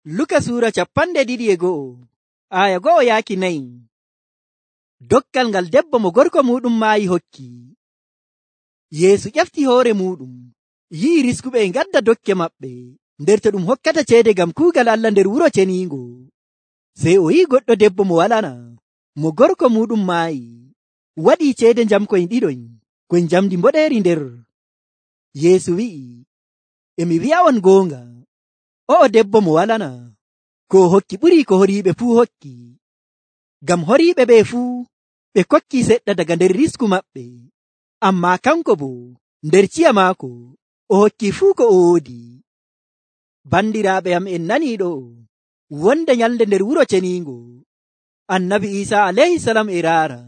Luka Sura 12 aya 1 Dokkal ngal debbo mo gorko muɗum maayi hokki. Yeesu ƴefti hoore muɗum, yi'i riskuɓe e ngadda dokke maɓɓe nder to ɗum hokkata ceede ngam kuugal Allah nder wuro ceniingo. Sey o yi'i goɗɗo debbo mo walana, mo gorko muɗum maayi, waɗii ceede njamkoyn ɗiɗoyn, koyn njamdi mboɗeeri nder. Yeesu wi'i, e mi wi'a'on goonga, o'o debbo mo walana, ko o hokki ɓurii ko horiiɓe fuu hokki. Ngam horiiɓe ɓe fuu ɓe kokki seɗɗa daga nder risku maɓɓe, ammaa kanko boo nder ciya maako o hokki fuu ko o woodi. Bandiraaɓe am, en nanii ɗo wonde nyalnde nder wuro ceniingo, Annabi Iisaa alayhisalam e raara.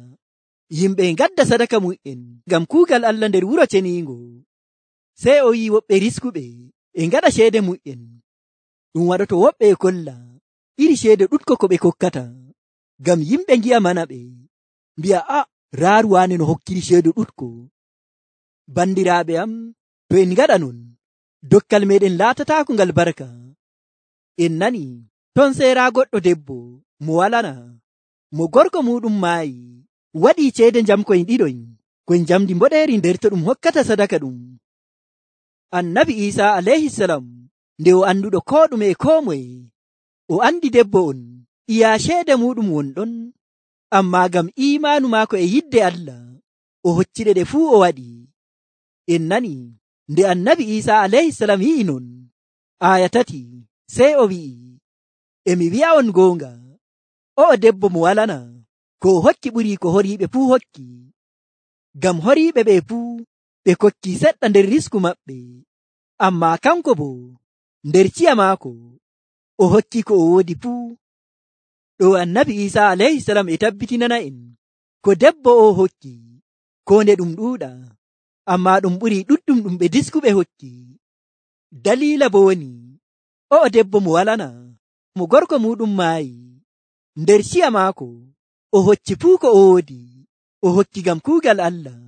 Yimɓe ngadda sadaka mu'en ngam kuugal Allah nder wuro ceniingo. Sey o yi'i woɓɓe riskuɓe e ngaɗa ceede mu'en. Ɗum waɗoto woɓɓe e kolla iri ceede ɗuɗko ko ɓe kokkata, ngam yimɓe ngi'a mana ɓe, mbi'a raaru waane no hokkiri ceede ɗuɗko. Bandiraaɓe am, to en ngaɗa non, dokkal meɗen laatataako ngal barka. En nani ton seera goɗɗo debbo mo walana, mo gorko muɗum maayi, waɗii ceede njamkoyn ɗiɗoyn, koyn njamdi mboɗeeri nder to ɗum hokkata sadaka ɗum. Annabi Iisaa alayhisalam nde o anduɗo koo ɗume e koo moye, o andi debbo on iya ceede muɗum wonɗon, ammaa ngam iimaanu maako e yidde Allah o hocciɗe ɗe fuu o waɗi. En nani nde Annabi Iisaa alayhisalam yi'i non, aya 3, sey o wi'i, e mi wi'a'on goonga, o'o debbo mo walana, ko o hokki ɓurii ko horiiɓe fuu hokki. Ngam horiiɓe ɓe fuu ɓe kokki seɗɗa nder risku maɓɓe, ammaa kanko boo nder ciya maako o hokki ko o woodi fuu. Ɗo Annabi Iisaa alayhisalam e tabbitinana en ko debbo o hokki, ko nde ɗum ɗuuɗa, ammaa ɗum ɓurii ɗuɗɗum ɗum ɓe diskuɓe hokki. Daliila bo woni, o'o debbo mo walana, mo gorko muɗum maayi, nder ciya maako o hocci fuu ko o woodi, o hokki ngam kuugal Allah.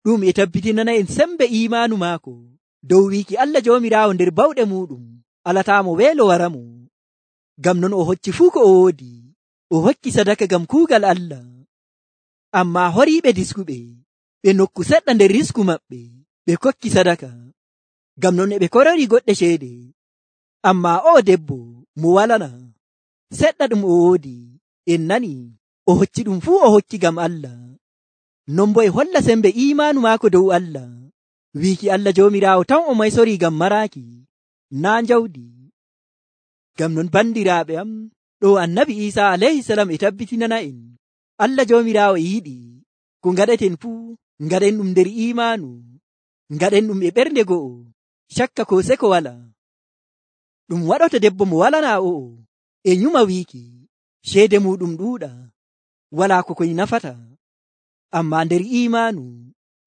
Ɗum e tabbitinana en sembe iimaanu maako dow wiiki Allah Joomiraawo nder bawɗe muɗum alataamo weelo waramo. Ngam non o hocci fuu ko o woodi, o hokki sadaka ngam kuugal Allah. Ammaa horiiɓe diskuɓe ɓe nokku seɗɗa nder risku maɓɓe, ɓe kokki sadaka. Ngam non e ɓe korori goɗɗe ceede, ammaa o'o debbo mo walana, seɗɗa ɗum o woodi, en nani o hocci ɗum fuu o hokki ngam Allah. Non bo e holla sembe iimaanu maako dow Allah, wiiki Allah Joomiraawo tan o maysori ngam maraaki, naa njawdi. Ngam non bandiraaɓe am, ɗo Annabi Iisaa alayhisalam e tabbitinana en Allah Joomiraawo e yiɗi ko ngaɗeten fuu ngaɗen ɗum nder iimaanu, ngaɗen ɗum e ɓernde go'o, cakka ko seko wala. Ɗum waɗoto debbo mo walana o'o e nyuma wiiki ceede muɗum ɗuuɗa, walaa ko koy nafata, ammaa nder iimaanu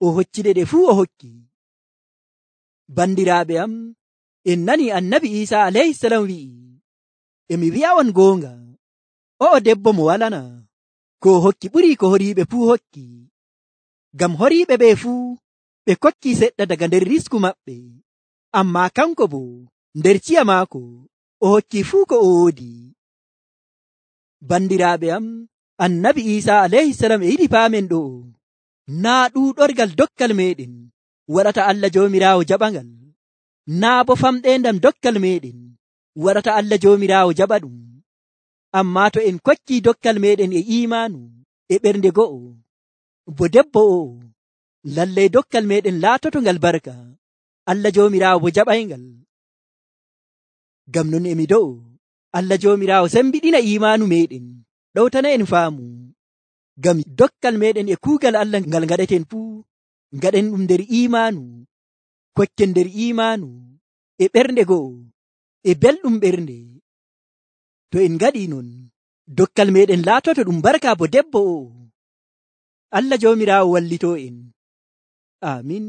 o hocciɗe ɗe fuu o hokki. Bandiraaɓe am, en nani Annabi Iisaa alayhisalam wi'i, e mi wi'a'on goonga, o'o debbo mo walana, ko o hokki ɓurii ko horiiɓe fuu hokki. Ngam horiiɓe ɓe fuu ɓe kokki seɗɗa daga nder risku maɓɓe, ammaa kanko boo nder ciya maako o hokki fuu ko o woodi. Bandiraaɓe am, Annabi Iisaa alayhisalam e yiɗi paamen ɗo, naa ɗuuɗorgal dokkal meɗen waɗata Allah Joomiraawo jaɓangal, naa bo famɗeendam dokkal meɗen waɗata Allah Joomiraawo jaɓa ɗum. Ammaa to en kokki dokkal meɗen e iimaanu e ɓernde go'o, bo debbo o lallay dokkal meɗen laatoto ngal barka, Allah Joomiraawo bo jaɓayngal. Ngam non emi do'o Allah Joomiraawo sembiɗina iimaanu meɗen, ɗowtana en faamu, ngam dokkal meɗen e kuugal Allah ngal ngaɗeten fuu ngaɗen ɗum nder iimaanu, kokken nder iimaanu e ɓernde go'o e belɗum ɓernde. To en ngaɗi non, dokkal meɗen laatoto ɗum barka bo debbo o. Allah Joomiraawo wallito en. Amin.